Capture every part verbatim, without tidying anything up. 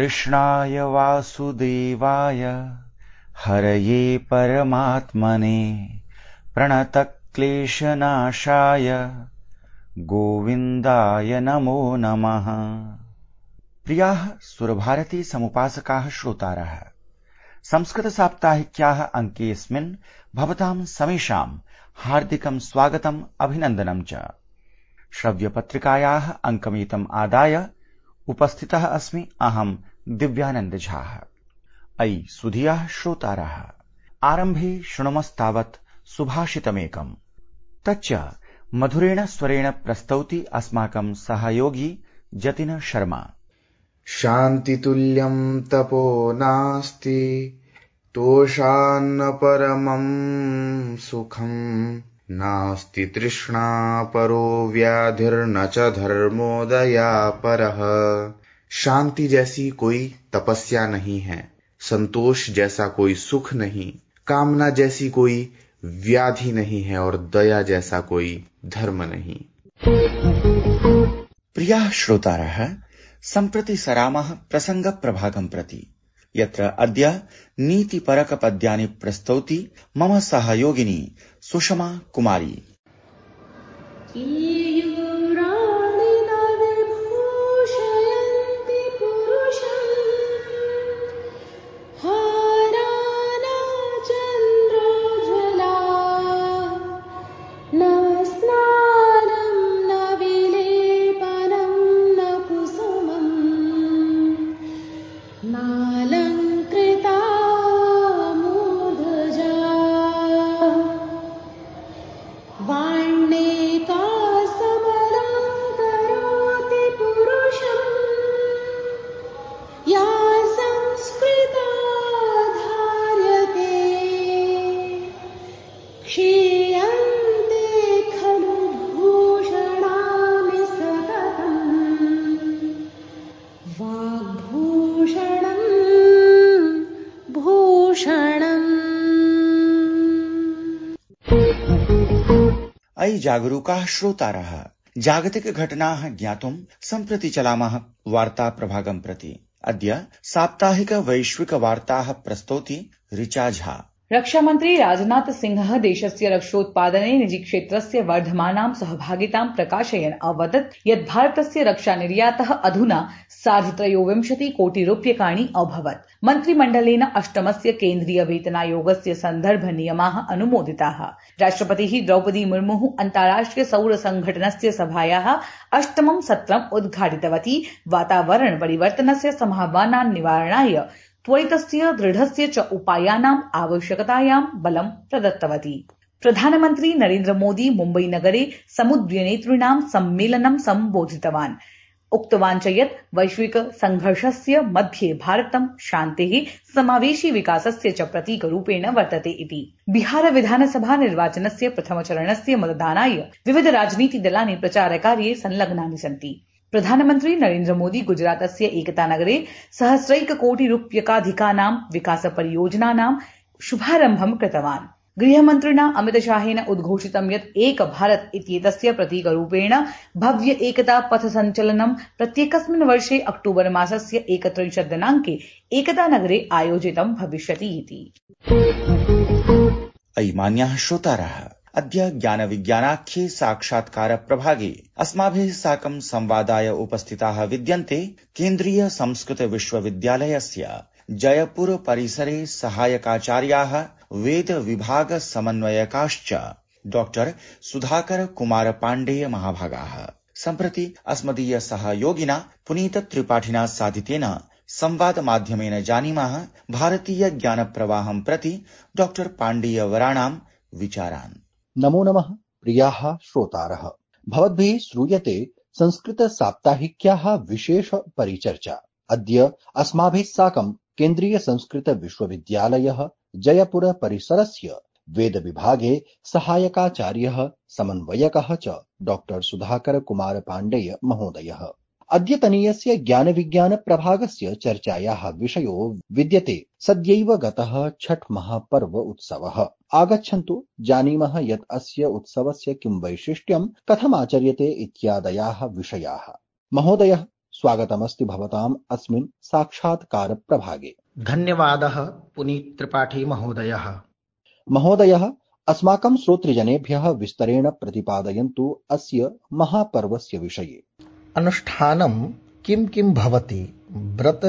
कृष्णाय वासुदेवाय हरये परमात्मने प्रणतक्लेशनाशाय गोविन्दाय नमो नमः। प्रियाः सुरभारती समुपासकाः श्रोतारः, संस्कृतसाप्ताहिक्याः अङ्केऽस्मिन् भवतां समेषां हार्दिकं स्वागतम् अभिनन्दनं च। श्रव्यपत्रिकायाः अङ्कमेतम् आदाय उपस्थितः अस्मि अहं दिव्यानन्द झा। अयि सुधियाः श्रोतारः, आरम्भे शृणुमस्तावत् सुभाषितमेकम्, तच्च मधुरेण स्वरेण प्रस्तौति अस्माकं सहयोगी जतिन शर्मा। शान्तितुल्यं तपो नास्ति तोषान्न परमं सुखं, नास्ति तृष्णा परो व्याधिर्न च धर्मोदयापरः। शांति जैसी कोई तपस्या नहीं है, संतोष जैसा कोई सुख नहीं, कामना जैसी कोई व्याधि नहीं है और दया जैसा कोई धर्म नहीं। प्रियाः श्रोतारः, सम्प्रति सरामः प्रसंग प्रभागं प्रति, यत्र अद्य नीतिपरक पद्यानि प्रस्तौति मम सहयोगिनी सुषमा कुमारी। अयि जागरूकाः श्रोतारः, जागतिक घटनाः ज्ञातुं सम्प्रति चलामः वार्ता प्रभागं प्रति। अद्य साप्ताहिक वैश्विक वार्ताः प्रस्तौति ऋचा झा। रक्षामन्त्री राजनाथ सिंहः देशस्य रक्षोत्पादने निजीक्षेत्रस्य वर्धमानां सहभागितां प्रकाशयन् अवदत् यत् भारतस्य रक्षानिर्यातः अधुना सार्धत्रयोविंशति कोटि रूप्यकाणि अभवत्। मन्त्रिमण्डलेन अष्टमस्य केन्द्रीय वेतनायोगस्य सन्दर्भ नियमाः अनुमोदिताः। राष्ट्रपतिः द्रौपदी मुर्मुः अन्ताराष्ट्रिय सौर संघटनस्य सभायाः अष्टमं सत्रम् उद्घाटितवती। वातावरण परिवर्तनस्य सम्भावनान् निवारणाय त्वरितस्य दृढस्य च उपायानाम् आवश्यकतायां बलं प्रदत्तवती। प्रधानमन्त्री नरेन्द्र मोदी मुम्बई नगरे समुद्यनेतॄणां सम्मेलनं सम्बोधितवान्। उक्तवान् च यत् वैश्विक संघर्षस्य मध्ये भारतं शान्तेः, समावेशी विकासस्य च प्रतीकरूपेण वर्तते इति। बिहार विधानसभा निर्वाचनस्य प्रथमचरणस्य मतदानाय विविध राजनीतिदलानि प्रचारकार्ये संलग्नानि सन्ति। प्रधानमन्त्री नरेन्द्र मोदी गुजरातस्य एकतानगरे सहस्रैककोटिरूप्यकाधिकानां विकासपरियोजनानां शुभारम्भं कृतवान्। गृहमन्त्रिणा अमितशाहेन उद्घोषितं यत् एक भारत इत्येतस्य प्रतीकरूपेण भव्य एकता पथ सञ्चलनं प्रत्येकस्मिन् वर्षे अक्टोबर मासस्य एकत्रिंशत् दिनाङ्के एकतानगरे आयोजितं भविष्यति इति। अयि मान्याः श्रोतारः, अद्य ज्ञानविज्ञानाख्ये साक्षात्कार प्रभागे अस्माभिः साकं संवादाय उपस्थिताः विद्यन्ते केन्द्रीय संस्कृत विश्वविद्यालयस्य जयपुर परिसरे सहायकाचार्याः वेद विभाग समन्वयकाश्च डॉक्टर सुधाकर कुमार पाण्डेय महाभागाः। सम्प्रति अस्मदीय सहयोगिना पुनीत त्रिपाठिना साधितेन संवाद माध्यमेन जानीमः भारतीय ज्ञान प्रवाहं प्रति डॉक्टर पाण्डेय वराणां विचारान्। नमो नमः प्रियाः श्रोतारः, भवद्भिः श्रूयते संस्कृत साप्ताहिक्याः विशेष परिचर्चा। अद्य अस्माभिः साकं केन्द्रीय संस्कृत विश्वविद्यालयः जयपुर परिसरस्य वेद विभागे सहायकाचार्यः समन्वयकः च डॉक्टर सुधाकर कुमार पाण्डेय महोदयः। अद्यतनीयस्य ज्ञान विज्ञान प्रभागस्य चर्चायाः विषयो विद्यते सद्यैव गतः छठ महापर्व उत्सवः। आगच्छन्तु जानीमः यत् अस्य उत्सवस्य किं वैशिष्ट्यं, कथमाचर्यते इत्यादयाः विषयाः। महोदयः, स्वागतमस्ति भवताम् अस्मिन् साक्षात्कार प्रभागे। धन्यवादः पुनीत त्रिपाठी महोदयः। महोदयः, अस्माकं श्रोतृजनेभ्यः विस्तरेण प्रतिपादयन्तु अस्य महापर्वस्य विषये। अनुष्ठानं किं किं भवति, व्रत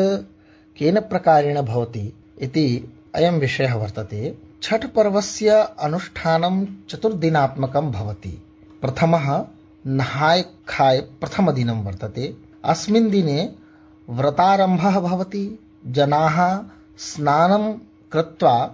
केन प्रकारेण भवति इति अयं विषयः वर्तते। छठ पर्वस्य अनुष्ठानं चतुर्दिनात्मकं भवति। प्रथमः नहाय खाय प्रथमदिनं वर्तते। अस्मिन् दिने व्रतारम्भः भवति। जनाः स्नानं कृत्वा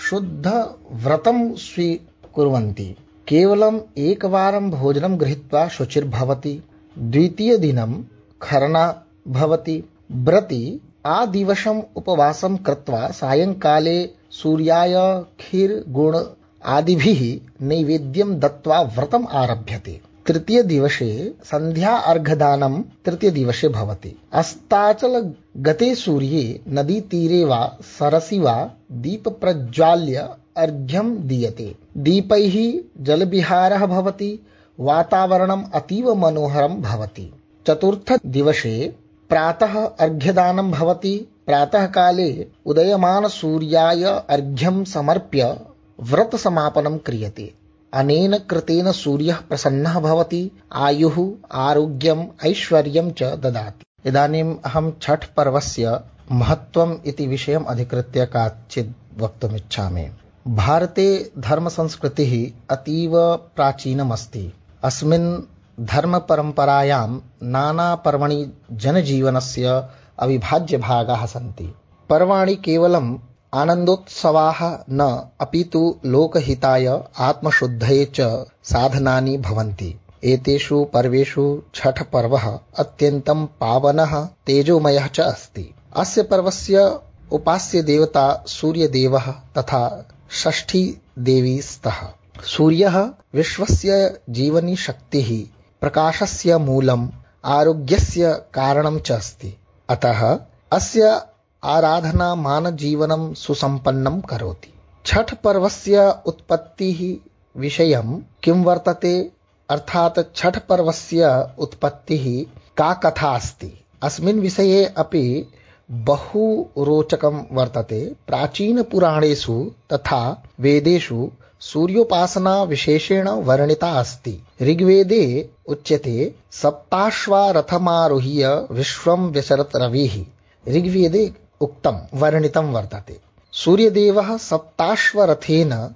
शुद्ध व्रतं स्वीकुर्वन्ति। केवलम् एकवारं भोजनं गृहीत्वा शुचिर्भवति। द्वितीयदिनं खरना भवति। व्रती आदिवसम् उपवासं कृत्वा सायंकाले सूर्याय खीर गुड़ आदिभिः नैवेद्यं दत्त्वा व्रतम् आरभ्यते। तृतीय दिवसे संध्या अर्घदानं तृतीय दिवसे भवति। अस्ताचल गते सूर्ये नदीतीरे वा सरसि वा दीप प्रज्वाल्य अर्घ्यं दीयते। दीपैः जलविहारः भवति। वातावरणम् अतीव मनोहरं भवति। चतुर्थ दिवसे प्रातः अर्घ्यदानं भवति। प्रातः काले उदयमान सूर्याय अर्घ्यं समर्प्य व्रत समापनं क्रियते। अनेन कृतेन सूर्यः प्रसन्नः भवति। आयुः आरोग्यम् ऐश्वर्यं च ददाति। इदानीम् अहं छठ पर्वस्य महत्त्वम् इति विषयम् अधिकृत्य काचित् वक्तुमिच्छामि। भारते धर्मसंस्कृतिः अतीव प्राचीनमस्ति। अस्मिन् धर्मपरम्परायां नानापर्वणि जनजीवनस्य अविभाज्यभागाः सन्ति। पर्वाणि केवलम् आनन्दोत्सवाः न अपितु लोकहिताय आत्मशुद्धये च साधनानि भवन्ति। एतेषु पर्वेषु छठ पर्वः अत्यन्तं पावनः तेजोमयः च अस्ति। अस्य पर्वस्य उपास्य देवता सूर्यदेवः तथा षष्ठी देवी स्तः। सूर्यः विश्वस्य जीवनी शक्तिः, प्रकाशस्य मूलम्, आरोग्यस्य कारणं च अस्ति। अतः अस्य आराधना मानवजीवनं सुसम्पन्नं करोति। छठ पर्वस्य उत्पत्तिः विषयं किं वर्तते, अर्थात् छठ पर्वस्य उत्पत्तिः का कथा अस्ति, अस्मिन् विषये अपि बहु रोचकं वर्तते। प्राचीनपुराणेषु तथा वेदेषु सूर्योपासना विशेषेण वर्णिता अस्ति। ऋग्वेदे उच्यते सप्ताश्वा रथमारुह्य विश्वं व्यचरत् रविः। ऋग्वेदे उक्तं वर्णितं वर्तते। सूर्यदेवः सप्ताश्वरथेन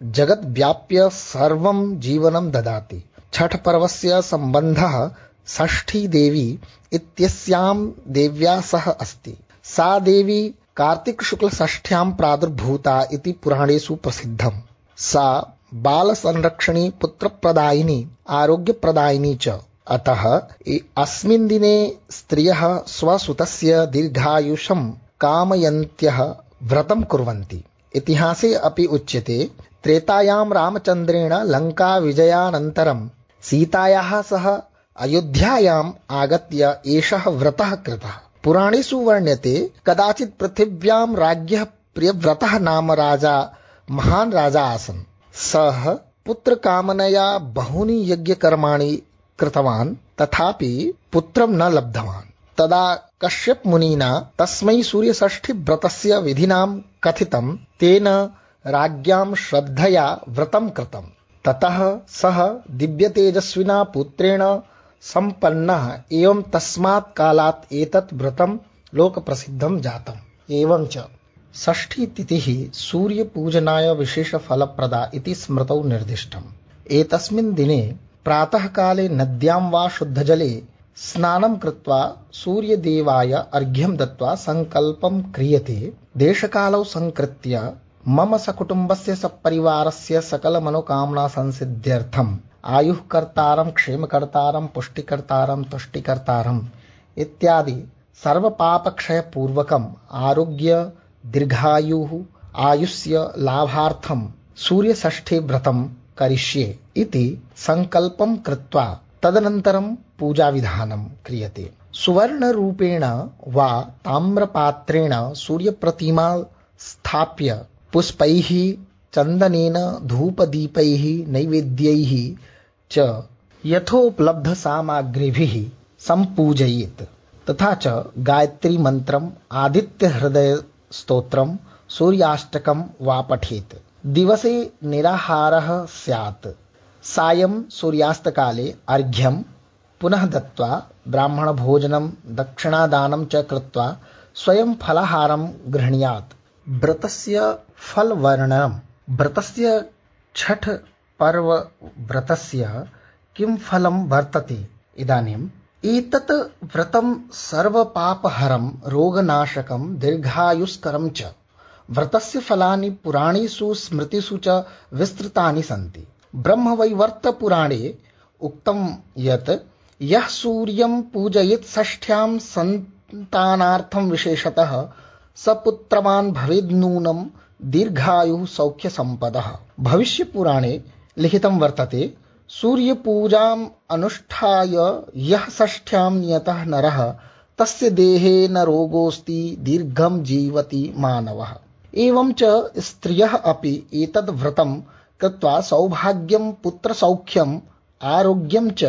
जगत् व्याप्य सर्वं जीवनं ददाति। छठ पर्वस्य सम्बन्धः षष्ठी देवी इत्यस्यां देव्या सह अस्ति। सा देवी कार्तिक शुक्ल षष्ठ्यां प्रादुर्भूता इति पुराणेषु प्रसिद्धम्। सा बालसंरक्षणी, पुत्रप्रदायिनी, आरोग्यप्रदायिनी च। अतः अस्मिन् दिने स्त्रियः स्वसुतस्य दीर्घायुषं कामयन्त्यः व्रतं कुर्वन्ति। इतिहासे अपि उच्यते त्रेतायां रामचन्द्रेण लङ्का विजयानन्तरं सीतायाः सह अयोध्यायाम् आगत्य एषः व्रतः कृतः। पुराणेषु वर्ण्यते कदाचित् पृथिव्यां राज्ञः प्रियव्रतः नाम राजा महान् राजा आसन्। सः पुत्रकामनया बहूनि यज्ञकर्माणि कृतवान्, तथापि पुत्रं न लब्धवान्। तदा कश्यप मुनिना तस्मै सूर्यषष्ठी व्रतस्य विधिनां कथितं। तेन राज्ञां श्रद्धया व्रतं कृतं। ततः सः दिव्यतेजस्विना पुत्रेण सम्पन्नः। एवं तस्मात् कालात् एतत् व्रतं लोकप्रसिद्धं जातम्। एवं च षष्ठी तिथिः सूर्यपूजनाय विशेषफलप्रदा इति स्मृतौ निर्दिष्टम्। एतस्मिन् दिने प्रातःकाले नद्यां वा शुद्धजले स्नानं कृत्वा सूर्यदेवाय अर्घ्यं दत्त्वा संकल्पं क्रियते। देशकालौ संकृत्य मम सकुटुम्बस्य सपरिवारस्य सकलमनोकामना संसिद्ध्यर्थम् आयुः कर्तारं, क्षेमकर्तारं, पुष्टिकर्तारं, तुष्टिकर्तारं इत्यादि सर्वपापक्षयपूर्वकम् आरोग्य दीर्घायुः आयुष्य लाभार्थं सूर्यषष्ठी व्रतं करिष्ये इति संकल्पं कृत्वा तदनन्तरं पूजाविधानं क्रियते। सुवर्णरूपेण वा ताम्रपात्रेण सूर्यप्रतिमा स्थाप्य पुष्पैः, चन्दनेन, धूपदीपैः, नैवेद्यैः च यथोपलब्धसामग्रीभिः सम्पूजयेत्। तथा च गायत्री मन्त्रम्, आदित्य हृदय स्तोत्रम्, सूर्याष्टकम् वा पठेत्। दिवसे निराहारः स्यात्। सायं सूर्यास्तकाले अर्घ्यं पुनः दत्त्वा ब्राह्मणभोजनं दक्षिणादानं च कृत्वा स्वयं फलाहारं गृह्णीयात्। व्रतस्य फलवर्णनम्। व्रतस्य छठ पर्व व्रतस्य किं फलं वर्तते? इदानीम् एतत् व्रतं सर्वपापहरं, रोगनाशकं, दीर्घायुष्करं च। व्रतस्य फलानि पुराणेषु स्मृतिषु च विस्तृतानि सन्ति। ब्रह्मवैवर्त पुराणे उक्तं यत् यः सूर्यं पूजयेत् षष्ठ्यां सन्तानार्थं विशेषतः स पुत्रवान् भवेद् नूनं दीर्घायुः सौख्यसम्पदः। भविष्यपुराणे लिखितं वर्तते सूर्यपूजाम् अनुष्ठाय यः षष्ठ्यां नियतः नरः तस्य देहे न रोगोऽस्ति, दीर्घं जीवति मानवः। एवं च स्त्रियः अपि एतद् व्रतं कृत्वा सौभाग्यं, पुत्रसौख्यम्, आरोग्यं च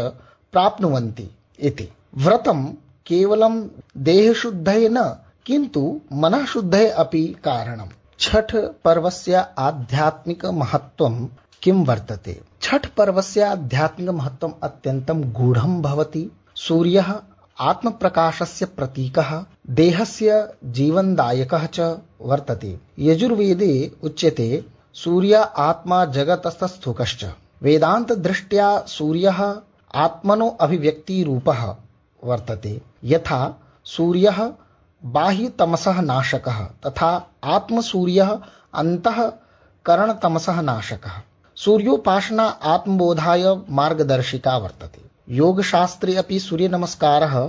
प्राप्नुवन्ति इति। व्रतं केवलं देहशुद्धये न, किन्तु मनःशुद्धये अपि कारणम्। छठ पर्वस्य आध्यात्मिक महत्त्वं किं वर्तते? छठ पर्वस्य आध्यात्मिक महत्त्वम् अत्यन्तं गूढं भवति। सूर्यः आत्मप्रकाशस्य प्रतीकः, देहस्य जीवनदायकः च वर्तते। यजुर्वेदे उच्यते सूर्य आत्मा जगतस्तस्थूकश्च। वेदान्तदृष्ट्या सूर्यः आत्मनो अभिव्यक्तिरूपः वर्तते। यथा सूर्यः बाह्यतमसः नाशकः, तथा आत्मसूर्यः अन्तःकरणतमसः नाशकः। सूर्योपासना आत्मबोधाय मार्गदर्शिका वर्तते। योगशास्त्रे अपि सूर्यनमस्कारः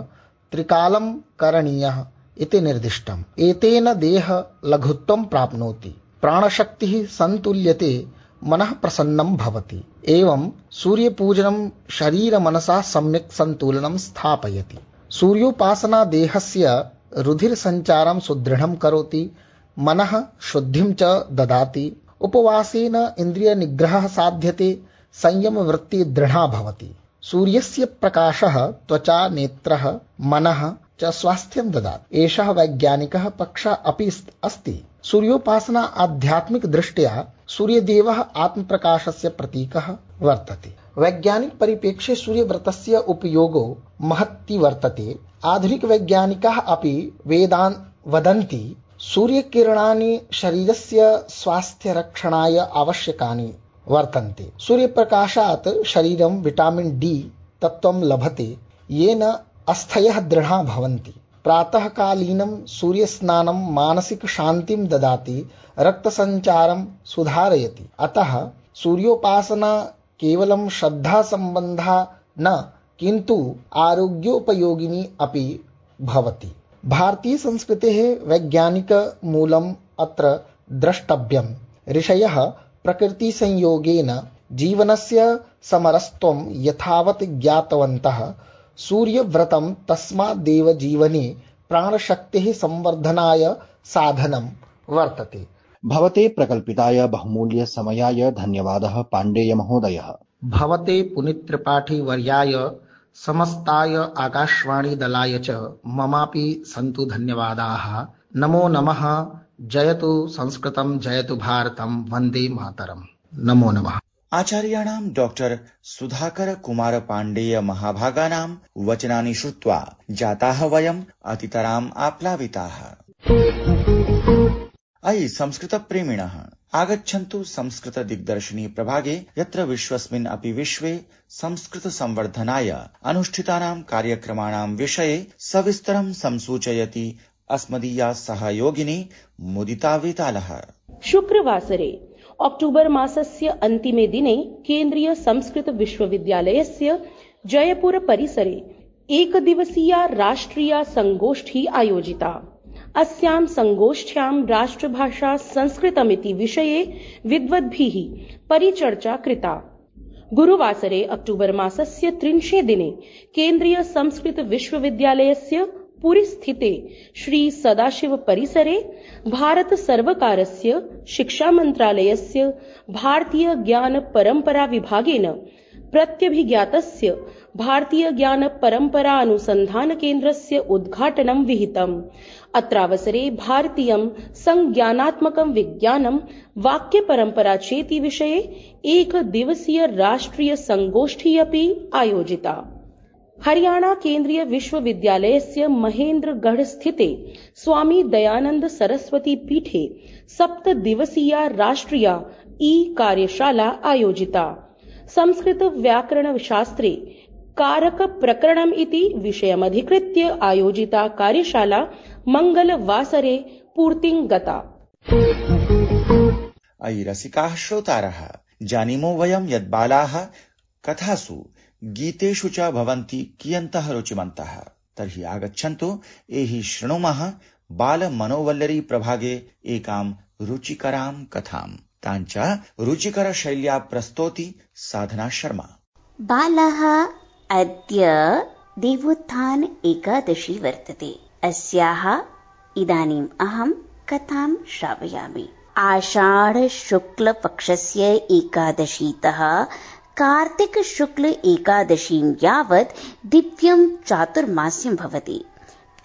त्रिकालं करणीयः इति निर्दिष्टम्। एतेन देह लघुत्वं प्राप्नोति, प्राणशक्तिः सन्तुल्यते, मनः प्रसन्नं भवति। एवं सूर्यपूजनं शरीरमनसा सम्यक् सन्तुलनं स्थापयति। सूर्योपासना देहस्य रुधिरसञ्चारं सुदृढं करोति, मनः शुद्धिं च ददाति। उपवासेन इन्द्रियनिग्रहः साध्यते, संयमवृत्तिः दृढा भवति। सूर्यस्य प्रकाशः त्वचा, नेत्रः, मनः च स्वास्थ्यं ददाति। एषः वैज्ञानिकः पक्षः अपि अस्ति। सूर्योपासना आध्यात्मिक दृष्ट्या सूर्यदेवः आत्मप्रकाशस्य प्रतीकः वर्तते। वैज्ञानिक परिप्रेक्ष्ये सूर्यव्रतस्य उपयोगो महती वर्तते। आधुनिक वैज्ञानिकाः अपि वेदान् वदन्ति सूर्यकिरणानि शरीरस्य स्वास्थ्यरक्षणाय आवश्यकानि वर्तन्ते। सूर्यप्रकाशात् शरीरं विटामिन् डी तत्त्वं लभते, येन अस्थयः दृढा भवन्ति। प्रातःकालीनं सूर्यस्नानं मानसिक शान्तिं ददाति, रक्तसञ्चारं सुधारयति। अतः सूर्योपासना केवलं श्रद्धासम्बन्धा न, किन्तु आरोग्योपयोगिनी अपि भवति। भारतीय संस्कृतेः वैज्ञानिकमूलम् अत्र द्रष्टव्यम्। ऋषयः प्रकृतिसंयोगेन जीवनस्य समरसत्वं यथावत् ज्ञातवन्तः। सूर्यव्रतं तस्मादेव जीवने प्राणशक्तेः संवर्धनाय साधनं वर्तते। भवते प्रकल्पिताय बहुमूल्य समयाय धन्यवादः पाण्डेय महोदयः। भवते पुनीत्रिपाठी वर्याय समस्ताय आकाशवाणी दलाय च ममापि सन्तु धन्यवादाः। नमो नमः। जयतु संस्कृतं, जयतु भारतं, वन्दे मातरम्। नमो नमः। आचार्याणां डॉक्टर सुधाकर कुमार पाण्डेय महाभागानां वचनानि श्रुत्वा जाताः वयम् अतितराम् आप्लाविताः। अयि संस्कृतप्रेमिणः, आगच्छन्तु संस्कृत दिग्दर्शिनी प्रभागे, यत्र विश्वस्मिन् अपि विश्वे संस्कृत संवर्धनाय अनुष्ठितानां कार्यक्रमाणां विषये सविस्तरं संसूचयति अस्मदीया सहयोगिनी मुदिता वेतालः। शुक्रवासरे अक्टोबर मासस्य अन्तिमे दिने केन्द्रीय संस्कृत विश्वविद्यालयस्य जयपुर परिसरे एकदिवसीया राष्ट्रिया संगोष्ठी आयोजिता। अस्यां संगोष्ठ्यां राष्ट्रभाषा संस्कृतमिति विषये विद्वद्भिः परिचर्चा कृता। गुरुवासरे अक्टोबर मासस्य त्रिंशे दिने केन्द्रीय संस्कृत विश्वविद्यालयस्य पुरी स्थिते श्री सदाशिव परिसरे भारत सर्वकारस्य शिक्षा मन्त्रालयस्य भारतीय ज्ञान परम्परा विभागेन प्रत्यभिज्ञातस्य भारतीय ज्ञान परंपरा अनुसंधान केन्द्रस्य उद्घाटनं विहितम्। अत्रावसरे भारतीयं संज्ञानात्मकं विज्ञानं वाक्य परंपरा चेति विषये एक दिवसीय राष्ट्रिय संगोष्ठी अपि आयोजिता। हरियाणा केन्द्रीय विश्वविद्यालयस्य महेन्द्रगढ़ स्थिते स्वामी दयानंद सरस्वती पीठे सप्त दिवसीया राष्ट्रिया ई कार्यशाला आयोजिता। संस्कृत व्याकरण शास्त्रे कारक प्रकरणम् इति विषयमधिकृत्य आयोजिता कार्यशाला मंगलवासरे पूर्तिं गता। अयि रसिकाः श्रोतारः, जानीमो वयं यत् बालाः कथासु गीतेषु च भवन्ति कियन्तः रुचिमन्तः। तर्हि आगच्छन्तु एहि शृणुमः बालमनोवल्लरी प्रभागे एकां रुचिकरां कथां। ताञ्च रुचिकर शैल्या प्रस्तोति साधना शर्मा। बालः अद्य देवोत्थान एकादशी वर्तते। अस्याः इदानीम् अहं कथां श्रावयामि। आषाढ शुक्ल पक्षस्य एकादशीतः कार्तिक शुक्ल एकादशीं यावत् दिव्यं चातुर्मास्यं भवति।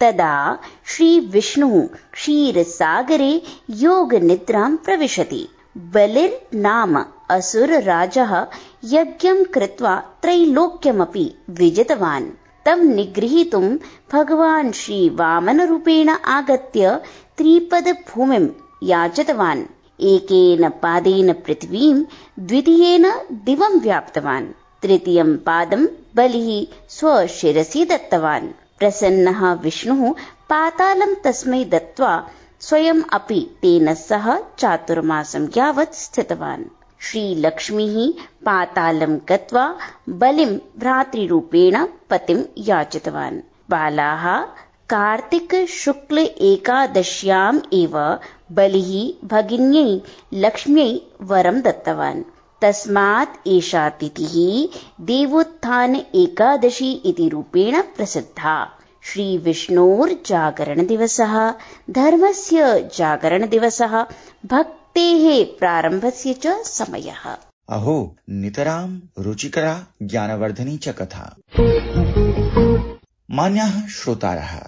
तदा श्री विष्णुः क्षीरसागरे योगनिद्रां प्रविशति। बलिर्नाम असुरराजः यज्ञं कृत्वा त्रैलोक्यमपि विजितवान्। तं निगृहीतुं भगवान् श्री वामनरूपेण आगत्य त्रिपदभूमिं याचितवान्। एकेन पादेन पृथ्वीं, द्वितीयेन दिवं व्याप्तवान्। तृतीयं पादं बलिः स्वशिरसि दत्तवान्। प्रसन्नः विष्णुः पातालं तस्मै दत्त्वा स्वयं अपि तेन सह चातुर्मासं यावत् स्थितवान्। श्रीलक्ष्मीः पातालं गत्वा बलिं भ्रातृरूपेण पतिं याचितवान्। बालाः कार्तिक शुक्ल एकादश्याम् एव बलिः भगिन्यै लक्ष्म्यै वरं दत्तवान्। तस्मात् एषा तिथिः देवोत्थान एकादशी इति रूपेण प्रसिद्धा। श्री विष्णोर्जागरण दिवसः, धर्मस्य जागरण दिवसः, भक्तेः प्रारम्भस्य च समयः। अहो, नितरां रुचिकरा ज्ञानवर्धनी च कथा। मान्याः श्रोतारः,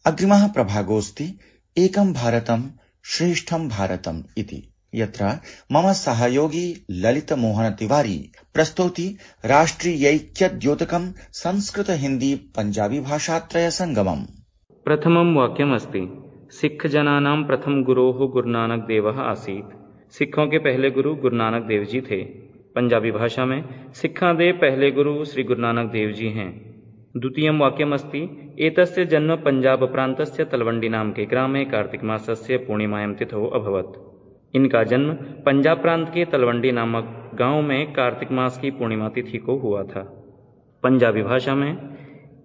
अग्रिमः प्रभागोऽस्ति एकं भारतं श्रेष्ठं भारतम् इति, यत्र मम सहयोगी ललित मोहन तिवारी प्रस्तौति राष्ट्रियैक्यद्योतकं संस्कृत हिंदी पंजाबी भाषात्रय संगमम्। प्रथमं वाक्यमस्ति, सिख जनानां प्रथम गुरोः गुरुनानक देवः आसीत्। सिखों के पहले गुरु गुरु नानक देव जी थे। पंजाबी भाषा में सिखा दे पहले गुरु श्री गुरु नानक देव जी हैं। द्वितीयं वाक्यमस्ति, एतस्य जन्म पंजाब प्रान्तस्य तलवंडी नाम के ग्रामे कार्तिक मासस्य पूर्णिमायां तिथौ अभवत्। इनका जन्म पंजाब प्रांत के तलवंडी नामक गांव में कार्तिक मास की पूर्णिमा तिथि को हुआ था। पंजाबी भाषा में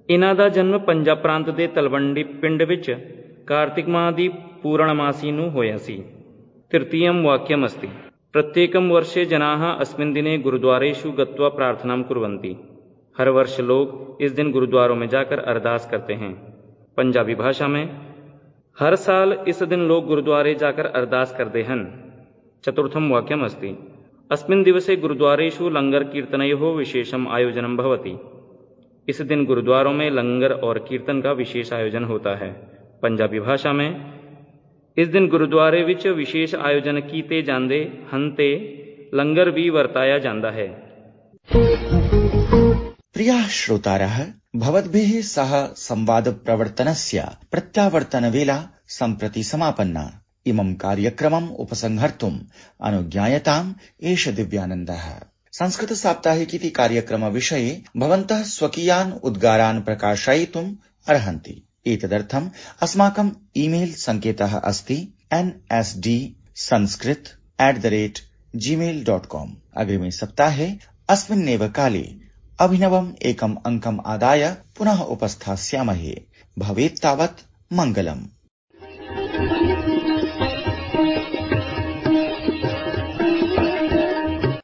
इन्हां दा जन्म पंजाब प्रांत दे तलवंडी पिंड विच कार्तिक माह दी पूर्णमासी नूं होया सी। तृतीयं वाक्यमस्ति, प्रत्येकं वर्षे जनाः अस्मिन् दिने गुरुद्वारेषु गत्वा प्रार्थनां कुर्वन्ति। हर वर्ष लोग इस दिन गुरुद्वारों में जाकर अरदास करते हैं। पंजाबी भाषा में हर साल इस दिन लोग गुरुद्वारे जाकर अरदास करते हैं। चतुर्थं वाक्यमस्ति, अस्मिन् दिवसे गुरुद्वारेषु लंगर कीर्तनयोः विशेषम् आयोजनं भवति। इस दिन गुरुद्वारों में लंगर और कीर्तन का विशेष आयोजन होता है। पंजाबी भाषा में इस दिन गुरुद्वारे विच विशेष आयोजन कीते जांदे हंते लंगर भी वर्ताया जांदा है। प्रियाः श्रोतारः, भवद्भिः सह संवाद प्रवर्तनस्य प्रत्यावर्तनवेला सम्प्रति समापन्ना। इमं कार्यक्रमम् उपसंहर्तुम् अनुज्ञायताम् एष दिव्यानन्दः। संस्कृत साप्ताहिकीति कार्यक्रम विषये भवन्तः स्वकीयान् उद्गारान् प्रकाशयितुम् अर्हन्ति। एतदर्थम् अस्माकम् ईमेल सङ्केतः अस्ति N S D Sanskrit at the rate Gmail dot com. अग्रिमे सप्ताहे अस्मिन्नेव काले अभिनवम् एकम् अङ्कम् आदाय पुनः उपस्थास्यामहे। भवेत् तावत् मङ्गलम्।